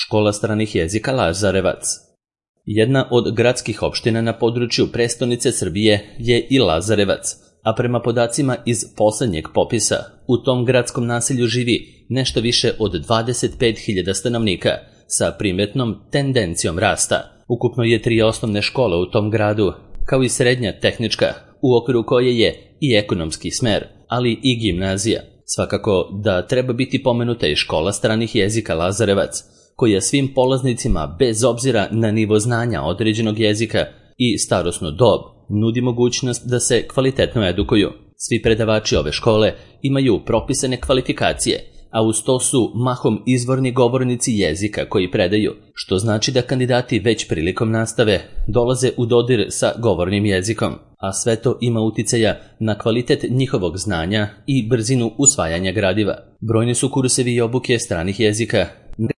Škola stranih jezika Lazarevac. Jedna od gradskih opština na području prestonice Srbije je i Lazarevac, a prema podacima iz poslednjeg popisa, u tom gradskom naselju živi nešto više od 25.000 stanovnika sa primetnom tendencijom rasta. Ukupno je 3 osnovne škole u tom gradu, kao i srednja tehnička, u okviru koje je i ekonomski smer, ali i gimnazija. Svakako da treba biti pomenuta i škola stranih jezika Lazarevac, koja svim polaznicima, bez obzira na nivo znanja određenog jezika i starosnu dob, nudi mogućnost da se kvalitetno edukuju. Svi predavači ove škole imaju propisane kvalifikacije, a uz to su mahom izvorni govornici jezika koji predaju, što znači da kandidati već prilikom nastave dolaze u dodir sa govornim jezikom, a sve to ima uticaja na kvalitet njihovog znanja i brzinu usvajanja gradiva. Brojni su kursevi i obuke stranih jezika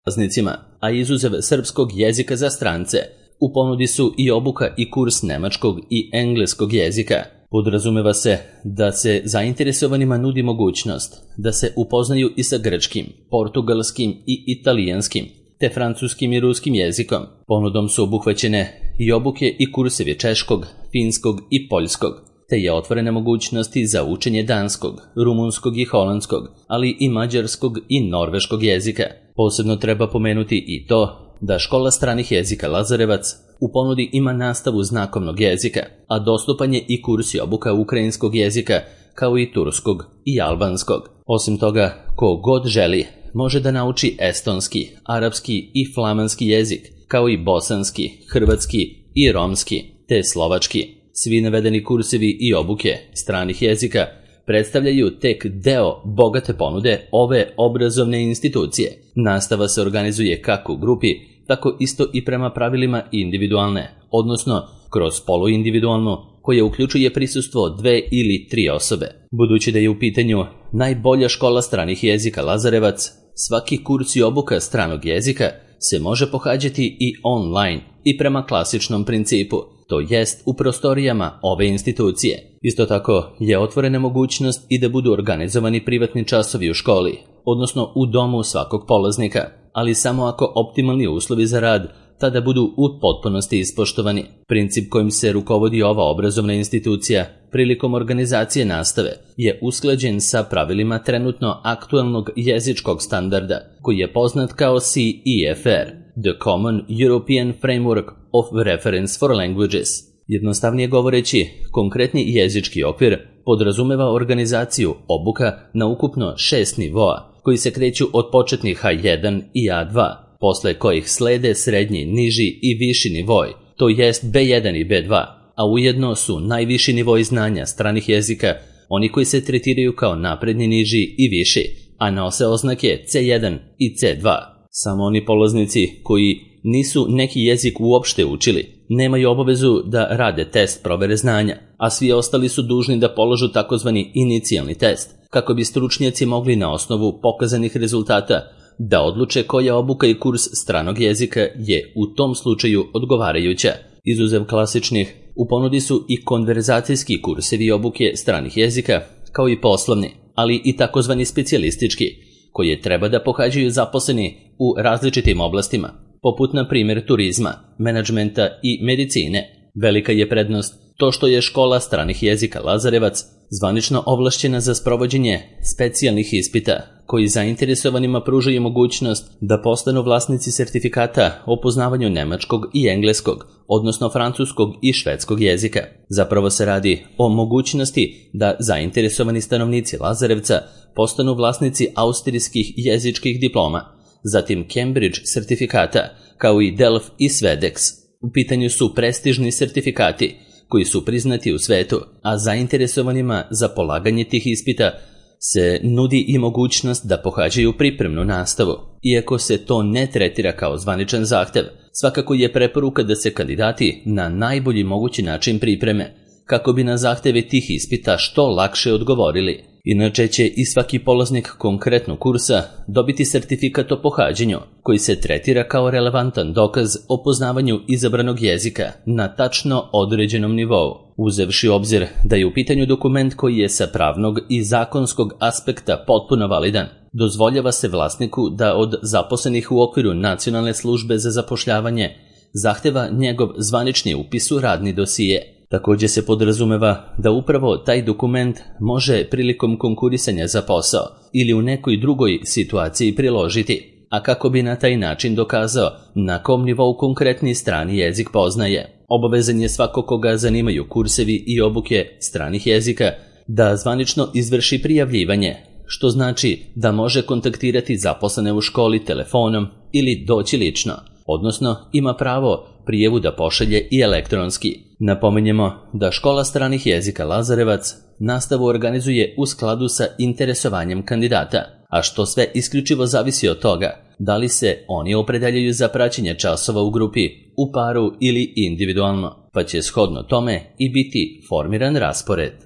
polaznicima, a izuzev srpskog jezika za strance, u ponudi su i obuka i kurs nemačkog i engleskog jezika. Podrazumeva se da se zainteresovanima nudi mogućnost da se upoznaju i sa grčkim, portugalskim i italijanskim, te francuskim i ruskim jezikom. Ponudom su obuhvaćene i obuke i kursevi češkog, finskog i poljskog, te je otvorena mogućnosti za učenje danskog, rumunskog i holandskog, ali i mađarskog i norveškog jezika. Posebno treba pomenuti i to da škola stranih jezika Lazarevac u ponudi ima nastavu znakovnog jezika, a dostupan je i kurs i obuka ukrajinskog jezika, kao i turskog i albanskog. Osim toga, ko god želi može da nauči estonski, arapski i flamanski jezik, kao i bosanski, hrvatski i romski, te slovački. Svi navedeni kursevi i obuke stranih jezika predstavljaju tek deo bogate ponude ove obrazovne institucije. Nastava se organizuje kako u grupi, tako isto i prema pravilima individualne, odnosno kroz poluindividualnu, koja uključuje prisustvo 2 ili 3 osobe. Budući da je u pitanju najbolja škola stranih jezika Lazarevac, svaki kurs i obuka stranog jezika se može pohađati i online i prema klasičnom principu, to jest u prostorijama ove institucije. Isto tako je otvorena mogućnost i da budu organizovani privatni časovi u školi, odnosno u domu svakog polaznika, ali samo ako optimalni uslovi za rad tada budu u potpunosti ispoštovani. Princip kojim se rukovodi ova obrazovna institucija prilikom organizacije nastave je usklađen sa pravilima trenutno aktualnog jezičkog standarda, koji je poznat kao CEFR, The Common European Framework of Reference for Languages. Jednostavnije govoreći, konkretni jezički okvir podrazumeva organizaciju obuka na ukupno 6 nivoa, koji se kreću od početnih A1 i A2, posle kojih slede srednji, niži i viši nivoj, to jest B1 i B2, a ujedno su najviši nivoi znanja stranih jezika oni koji se tretiraju kao napredni, niži i viši, a nose oznake C1 i C2. Samo oni polaznici koji nisu neki jezik uopšte učili nemaju obavezu da rade test provere znanja, a svi ostali su dužni da položu takozvani inicijalni test, kako bi stručnjaci mogli na osnovu pokazanih rezultata da odluče koja obuka i kurs stranog jezika je u tom slučaju odgovarajuća. Izuzev klasičnih, u ponudi su i konverzacijski kursevi obuke stranih jezika, kao i poslovni, ali i takozvani specijalistički, koje treba da pohađaju zaposleni u različitim oblastima, poput na primjer turizma, menadžmenta i medicine. Velika je prednost to što je škola stranih jezika Lazarevac zvanično ovlašćena za sprovođenje specijalnih ispita, koji zainteresovanima pružaju mogućnost da postanu vlasnici sertifikata o poznavanju nemačkog i engleskog, odnosno francuskog i švedskog jezika. Zapravo se radi o mogućnosti da zainteresovani stanovnici Lazarevca postanu vlasnici austrijskih jezičkih diploma, zatim Cambridge sertifikata, kao i Delf i Svedex. U pitanju su prestižni sertifikati koji su priznati u svetu, a zainteresovanima za polaganje tih ispita se nudi i mogućnost da pohađaju pripremnu nastavu. Iako se to ne tretira kao zvaničan zahtev, svakako je preporuka da se kandidati na najbolji mogući način pripreme, kako bi na zahteve tih ispita što lakše odgovorili. Inače će i svaki polaznik konkretnog kursa dobiti sertifikat o pohađanju, koji se tretira kao relevantan dokaz o poznavanju izabranog jezika na tačno određenom nivou, uzevši u obzir da je u pitanju dokument koji je sa pravnog i zakonskog aspekta potpuno validan. Dozvoljava se vlasniku da od zaposlenih u okviru Nacionalne službe za zapošljavanje zahteva njegov zvanični upis u radni dosije. Također se podrazumeva da upravo taj dokument može prilikom konkurisanja za posao ili u nekoj drugoj situaciji priložiti, a kako bi na taj način dokazao na kom nivou konkretni strani jezik poznaje. Obavezan je svako koga zanimaju kursevi i obuke stranih jezika da zvanično izvrši prijavljivanje, što znači da može kontaktirati zaposlene u školi telefonom ili doći lično, odnosno ima pravo prijavu da pošalje i elektronski. Napominjemo da Škola stranih jezika Lazarevac nastavu organizuje u skladu sa interesovanjem kandidata, a što sve isključivo zavisi od toga da li se oni opredeljuju za praćenje časova u grupi, u paru ili individualno, pa će shodno tome i biti formiran raspored.